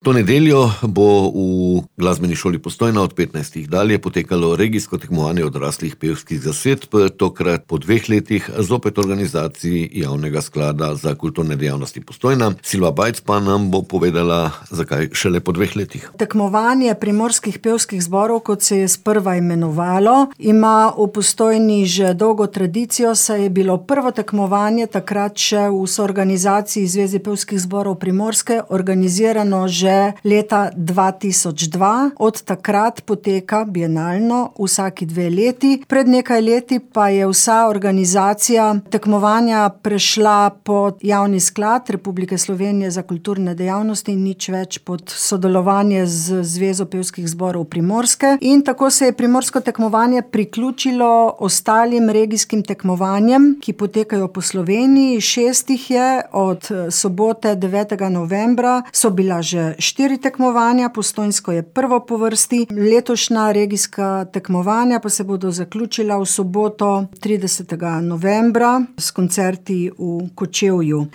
To nedeljo bo v Glasbeni šoli Postojna od 15. dalje potekalo regijsko tekmovanje odraslih pevskih zasedb, tokrat po 2 letih zopet organizaciji Javnega sklada za kulturne dejavnosti Postojna. Silva Bajc pa nam bo povedala, zakaj šele po 2 letih. Tekmovanje primorskih pevskih zborov, kot se je sprva imenovalo, ima v Postojni že dolgo tradicijo, saj je bilo prvo tekmovanje takrat še v soorganizaciji Zveze pevskih zborov Primorske organizirano že leta 2002. Od takrat poteka bienalno vsaki 2 leti. Pred nekaj leti pa je vsa organizacija tekmovanja prešla pod Javni sklad Republike Slovenije za kulturne dejavnosti in nič več pod sodelovanje z Zvezo pevskih zborov Primorske. In tako se je primorsko tekmovanje priključilo ostalim regijskim tekmovanjem, ki potekajo po Sloveniji. 6 jih je, od sobote 9. novembra so bila že 4 tekmovanja, postojnsko je prvo po vrsti. Letošnja regijska tekmovanja pa se bodo zaključila v soboto 30. novembra s koncerti v Kočevju.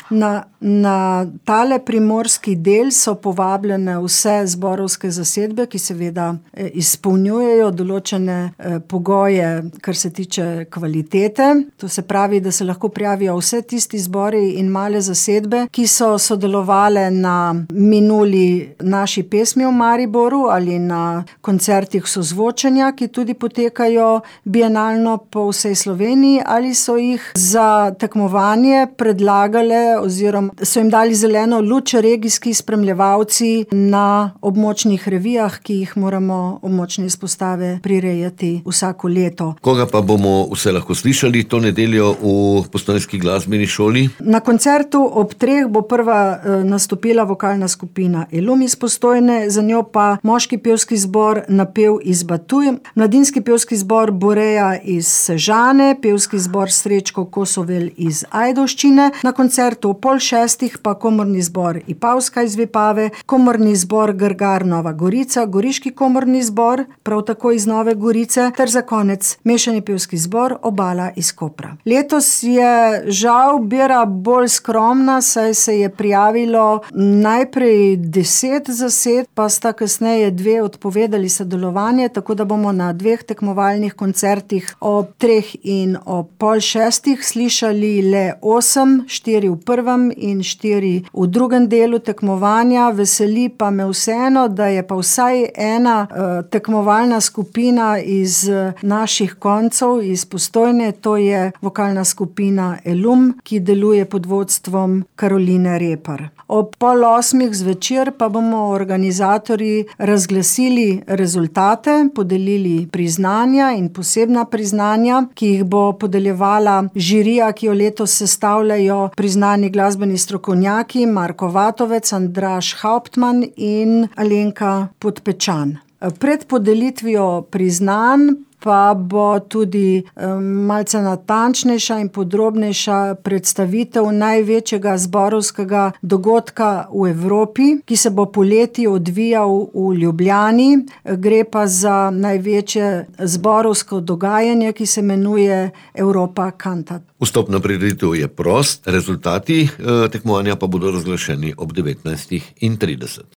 Na tale primorski del so povabljene vse zborovske zasedbe, ki seveda izpolnjujejo določene pogoje, kar se tiče kvalitete. To se pravi, da se lahko prijavijo vse tisti zbori in male zasedbe, ki so sodelovale na minuli naši pesmi v Mariboru ali na koncertih sozvočenja, ki tudi potekajo bienalno po vsej Sloveniji, ali so jih za tekmovanje predlagale oziroma so jim dali zeleno luč regijski spremljevalci na območnih revijah, ki jih moramo območne izpostave prirejati vsako leto. Koga pa bomo vse lahko slišali to nedeljo v Postojnski glasbeni šoli? Na koncertu ob 3 bo prva nastopila vokalna skupina Elum iz Postojne, za njo pa moški pevski zbor Napev iz Batuj, mladinski pevski zbor Boreja iz Sežane, pevski zbor Srečko Kosovel iz Ajdovščine, na koncertu ob 5:30 pa komorni zbor Ipavska iz Vipave, komorni zbor Grgar Nova Gorica, goriški komorni zbor, prav tako iz Nove Gorice, ter za konec mešani pevski zbor Obala iz Kopra. Letos je žal bira bolj skromna, saj se je prijavilo najprej 10 zasedb, pa sta kasneje 2 odpovedali sodelovanje, tako da bomo na 2 tekmovalnih koncertih ob 3 in ob 5:30 slišali le 8, 4 v prvem in 4 v drugem delu tekmovanja. Veseli pa me vseeno, da je pa vsaj ena tekmovalna skupina iz naših koncev, iz Postojne, to je vokalna skupina Elum, ki deluje pod vodstvom Karoline Repar. Ob 7:30 zvečer pa bomo organizatorji razglasili rezultate, podelili priznanja in posebna priznanja, ki jih bo podeljevala žirija, ki jo letos sestavljajo priznani glasbeni strokovnjaki Marko Vatovec, Andraž Hauptmann in Alenka Podpečan. Pred podelitvijo priznanj pa bo tudi malce natančnejša in podrobnejša predstavitev največjega zborovskega dogodka v Evropi, ki se bo poleti odvijal v Ljubljani. Gre pa za največje zborovsko dogajanje, ki se imenuje Europa Cantat. Vstop na prireditev je prost, rezultati tekmovanja pa bodo razglašeni ob 19:30.